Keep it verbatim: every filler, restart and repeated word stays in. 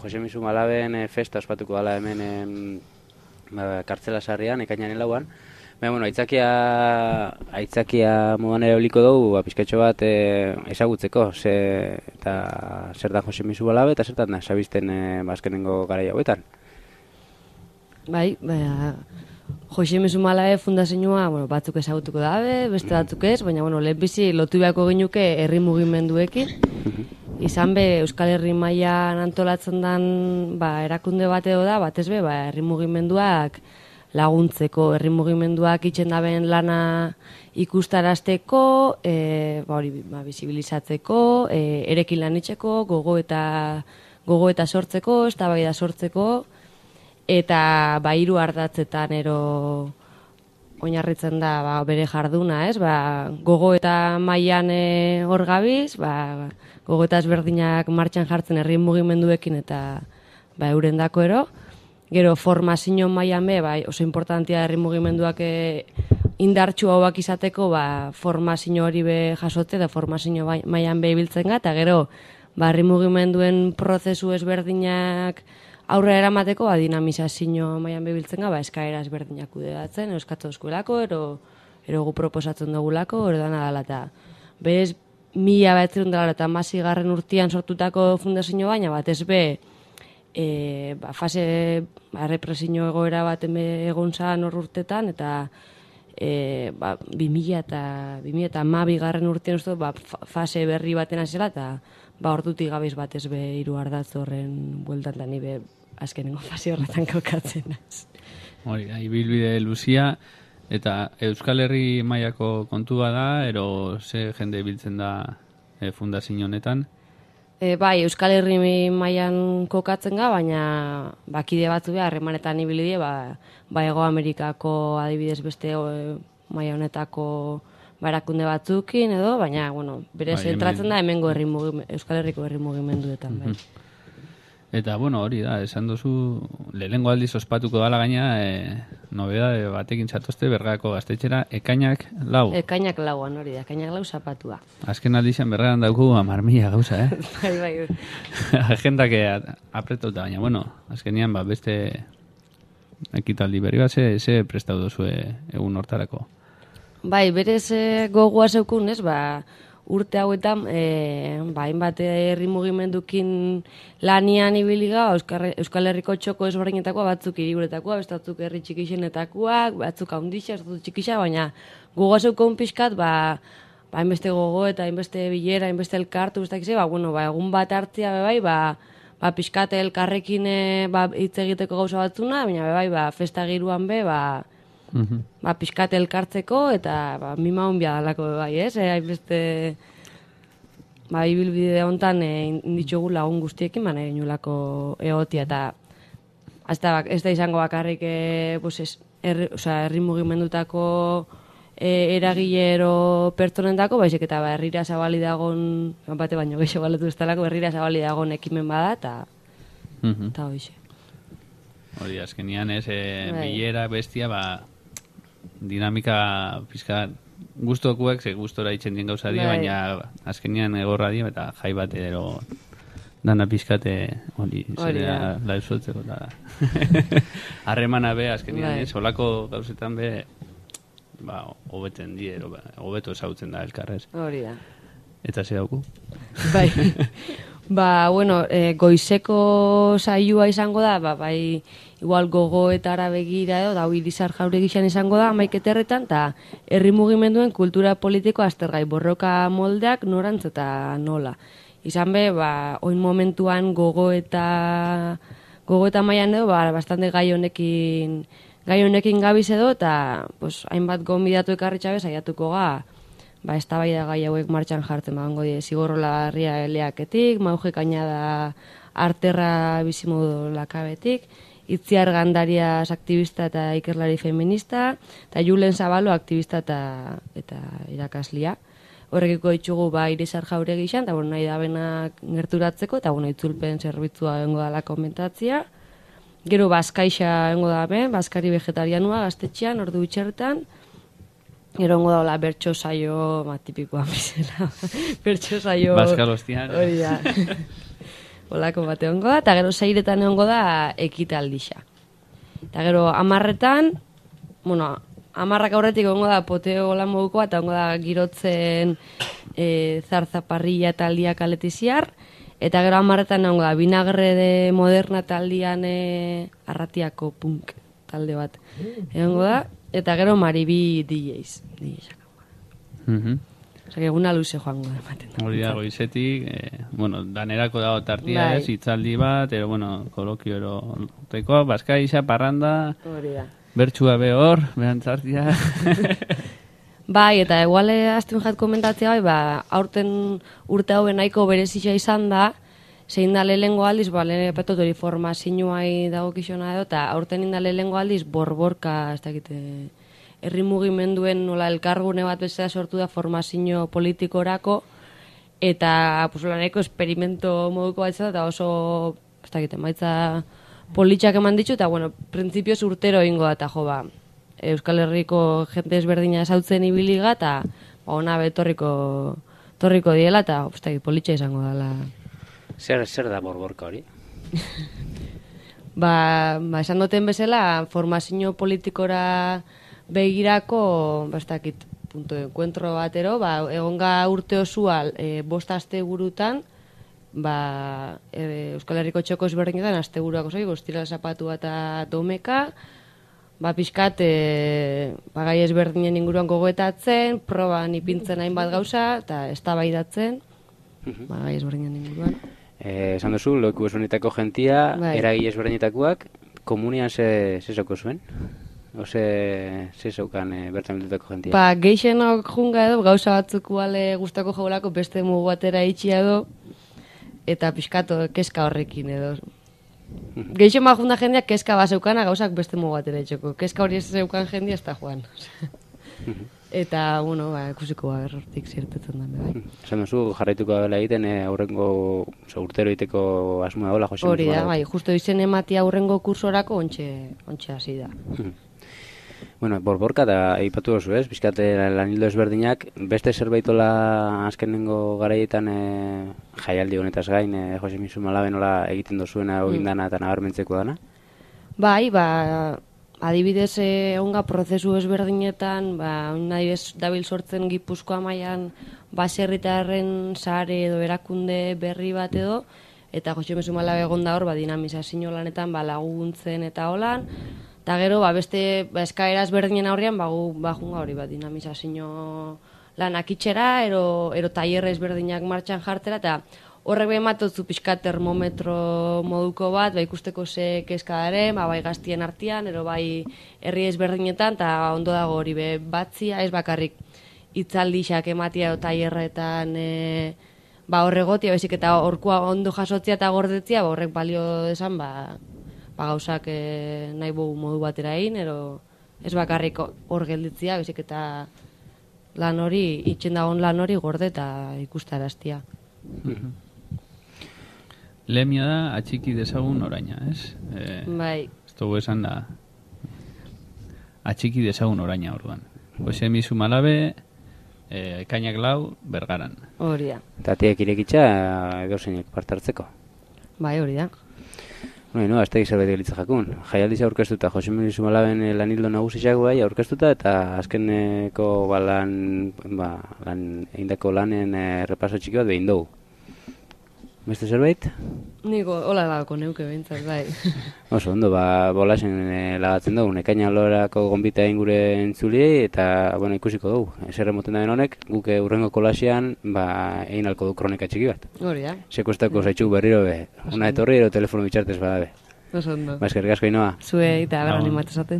Jose Misu Malaben e, festa ospatuko dela hemen e, ba, kartzela sarrian, ekainaren lauan. Baina, bueno, aitzakia, aitzakia modan ere oliko dugu, ba, pizkatxo bat e, ezagutzeko, ze, eta zer da Jose Misu Malabe, eta zertan da, sabizten e, bazkenengo garai hauetan. Bai, ba, Jose Misu Malabe fundazioa, bueno, batzuk ezagutuko dabe, beste batzuk ez, baina, bueno, lehenbizi lotu beharko ginuke herri mugimenduekin. Izan be, Euskal Herri mailan antolatzen den ba, erakunde bat edo da, batez be, ba, herri mugimenduak laguntzeko, herri mugimenduak itxen daben lana ikustarazteko, e, ba, hori, ba, bisibilizatzeko, e, erekin lan itxeko, gogo eta, gogo eta sortzeko, eztabaida sortzeko, eta ba, hiru ardatzetan ero oinarritzen da ba, bere jarduna, ez? Ba, gogo eta mailan e, hor gabiz, ba, gogo eta ezberdinak martxan jartzen herri mugimenduekin eta ba, eurendako ero. Gero formazio mailan be, ba, oso importantia herri mugimenduak e, indartsu hauak izateko, ba, formazio hori be jasote da formazio mailan be ibiltzen ga, eta gero ba, herri mugimenduen prozesu ezberdinak aurrera eramateko, ba, dinamizazio mailan bebiltzen ga, ba, eskaera ezberdinak kudeatzen, euskatu eskuelako, ero, ero gu proposatzen dugulako, ero dana dala, eta berez, mila behatzerun dela eta masigarren urtean sortutako fundazio baina, bat ez be, e, ba, fase, ba, represio egoera bat egon zan hor urtetan, eta e, ba, bi mila eta hamabi garren urtean uste, ba, fase berri baten azela, eta ba, ordutik gabiz bat ez be hiru ardatz horren bueltan da ni be azkenengo fase horretan kokatzen az. Hori, ibilbide luzia, eta Euskal Herri mailako kontua da, ero ze jende biltzen da e, fundazio honetan? E, bai, Euskal Herri mailan kokatzen ga, baina bakide batzu behar, harremanetan ibili die, ba, ba Hego Amerikako adibidez beste e, maila honetako barakunde batzukin edo, baina, bueno, bere bai, zentratzen da hemengo herri Euskal Herriko herri mugimenduetan, bai. Eta, bueno, hori da, esan duzu, lehenengo aldiz ospatuko dala gaina, e, nobedade batekin zatozte, Bergako gaztetxera, ekainak lau. Ekainak lauan, hori da, ekainak lau zapatua. Azken aldizan bergaran dauku hamar mila gauza, eh? bai, bai. Agendak apretauta, baina, bueno, azkenian, ba, beste ekitaldi berri bat, ze, ze prestau duzue egun hortarako? Bai, berez e, gogoa zeukun, ez, ba, urte hauetan, e, ba, hainbat herri mugimendukin lanian ibiliga, Euskal, Euskal Herriko txoko ezberdinetakoa, batzuk hiriburetakoa, beste batzuk herri txikixenetakoak, batzuk haundixak, batzuk txikixak, baina gogoa zeukun pixkat, ba, ba, hainbeste gogo eta hainbeste bilera, hainbeste elkartu, beste ba, bueno, ba, egun bat hartzia, bai, ba, ba, pixkat elkarrekin e, ba, hitz egiteko gauza batzuna, baina bai, ba, festa giruan be, ba, Uhum. Ba, pixkat elkartzeko eta ba, mima honbia dalako bai, ez? E, hainbeste ba, ibilbide honetan e, inditxogu lagun guztiekin, baina inulako egotia eta ez da, ez da izango bakarrik e, pues ez, erri, o sea, herri mugimendutako e, eragilero pertsonentako, baizik eta ba, herrira zabali dagon, bate baino gehiago baletu ez talako, herrira zabali dagon ekimen bada eta uhum. eta hoxe. Hori, azkenian ez, e, bilera bestia, ba, dinamika pizka gustokuek, ze gustora itzen dien gauza di, baina azkenian egorra di, eta jai bat ero dana pizkate hori, zera lausoltzeko da. Harremana be, azkenian ez, olako gauzetan be, ba, hobetzen di, ero, ba, hobeto esautzen da elkarrez. Hori da. Eta ze dauku? Bai. Ba, bueno, e, goizeko saioa izango da, ba, bai, igual gogoetara begira edo, da, Irizar Jauregixan izango da, amaiketerretan, eta herri mugimenduen kultura politiko aztergai, borroka moldeak norantz eta nola. Izan be, ba, oin momentuan gogoeta, gogoeta mailan edo, ba, bastante gai honekin, gai honekin gabiz edo, eta, pues, hainbat gonbidatu ekarritxabe, saiatuko ga, ba, eztabaida gai hauek martxan jartzen, ba, ongo die, Zigorrola Herria eleaketik, Mauge Kainada Arterra bizimodu lakabetik, Itziar Gandarias aktivista eta ikerlari feminista, eta Julen Zabalo aktivista eta, eta irakaslia. Horrekiko ditugu, ba, Irizar Jauregixan, eta, bueno, nahi da benak gerturatzeko, eta, bueno, itzulpen zerbitzua engo dala komentatzia. Gero, Bazkaixa engo da, ben, Bazkari vegetarianua, gaztetxean, ordu itxertan, Erongo daula bertso saio, ma, tipikoa bizela. Bertso saio... Baskalostian. Hori da. olako bate ongo da, eta gero seiretan ongo da ekitaldixa. Eta gero amarretan, bueno, amarrak aurretik ongo da poteo lan modukoa, eta ongo da girotzen e, zarzaparrilla taldia kaletiziar, eta gero amarretan ongo da vinagre de moderna taldian e, arratiako punk talde bat. Egongo da, eta gero maribi D Js. D Js. Mhm. Osa, eguna luze joango da ematen. Hori da, goizetik, eh, bueno, danerako dago tartia, Bai. ez, hitzaldi bat, ero, bueno, kolokio ero, tekoa, bazkaixa, parranda, Hori da. bertxua behor, behantzartia. Bai, eta eguale aztun jat komentatzea, bai, ba, aurten urte hauen nahiko berezia izan da, zein da lehengo aldiz, ba, lehen epetot hori formazioai dago kixona edo, eta aurten inda lehengo aldiz, borborka, ez dakite, herri mugimenduen nola elkargune bat bezala sortu da formazio politikorako, eta pues, nahiko esperimento moduko bat izan da, eta oso, ez dakite, maitza politxak eman ditu, eta, bueno, printzipioz urtero ingo da, eta jo, ba, Euskal Herriko jente ezberdina esautzen ibiliga, eta ba, ona betorriko torriko diela, eta ez dakit, politxa izango dela. Zer, zer da borborka hori? Ba, ba, esan duten bezala, formazio politikora begirako, ba, ez dakit, punto de encuentro batero, ba, egonga urte osua e, bost aste burutan, ba, e, Euskal Herriko txoko ezberdinetan, aste buruako zoi, goztira zapatua eta domeka, ba, pixkat, e, ba, gai ezberdinen inguruan gogoetatzen, proban ipintzen hainbat gauza, eta eztabaidatzen, ba, gai ezberdinen inguruan. Eh, esan duzu, loku esunetako jentia, Bai. eragile ezberdinetakoak, komunian ze, ze zauko zuen? Ose, ze zaukan e, bertan bildutako jentia? Ba, geixenok junga edo, gauza batzuk bale gustako jolako beste mugu batera itxi edo, eta pixkato keska horrekin edo. Geixen ba junda jendeak keska bat zeukana gauzak beste mugu batera itxoko. Keska hori ez zeukan jendia ez da joan. Eta, bueno, ba, ikusiko ba, hortik zirtetzen da, bai. Esan duzu, jarraituko dela egiten, e, aurrengo, oso, urtero egiteko asmoa dola, Jose. Hori da, bai, justo izen ematia aurrengo kursorako ontxe, ontxe hasi da. Bueno, borborka da aipatu duzu, ez? Bizkate lanildo ezberdinak, beste zerbaitola azkenengo garaietan e, jaialdi honetaz gain, e, Jose Misu Malabe nola egiten dozuena egin dana eta nabarmentzeko dana? Bai, ba, adibidez egonga prozesu ezberdinetan, ba, nahi bez dabil sortzen Gipuzkoa mailan baserritarren sare edo erakunde berri bat edo, eta Jose Misu Malabe egon da hor, ba, dinamizazio lanetan, ba, laguntzen eta holan, eta gero, ba, beste ba, eskaera ezberdinen aurrean, ba, gu, ba, junga hori, ba, dinamizazio lanak itxera, ero, ero tailerre ezberdinak martxan jartera, eta horrek behin matotzu pixka termometro moduko bat, ba, ikusteko ze kezka daren, ba, bai gaztien artean, ero bai herri ezberdinetan, eta ondo dago hori be batzia, ez bakarrik hitzaldixak ematia edo tailerretan e, ba, horregotia, bezik eta horkoa ondo jasotzia eta gordetzia, ba, horrek balio desan, ba, ba, gauzak e, nahi bogu modu batera egin, ero ez bakarrik hor gelditzia, bezik eta lan hori, itxen dagoen lan hori gorde eta ikustaraztia. Lemia da, atxiki dezagun oraina, ez? E, Bai. ez dugu esan da, atxiki dezagun oraina orduan. Jose Misu Malabe, e, ekainak lau, Bergaran. Hori da. Eta tiek irekitza edo zeinek parte hartzeko. Bai, hori da. No, no, ez da zerbait gelitza jakun. Jaialdiza aurkeztuta, Jose Misu Malaben lanildo nagusiak bai aurkeztuta, eta azkeneko ba, lan, ba, lan, eindako lanen e, repaso txiki bat behin dugu. Beste zerbait? Niko, hola lagako neuke behintzat, bai. Oso, ondo, ba, bolasen e, lagatzen dugu, ekaina lorako gonbita egin gure entzuliei, eta, bueno, ikusiko dugu. Ezer emoten da honek, guk urrengo kolasean, ba, egin alko du kronika txiki bat. Hori da. Sekuestako zaitxuk berriro be, una etorri ero telefono bitxartez badabe. Oso ondo. Ba, eskerrik asko Inoa. Zue eta berran Agur. imatezaten.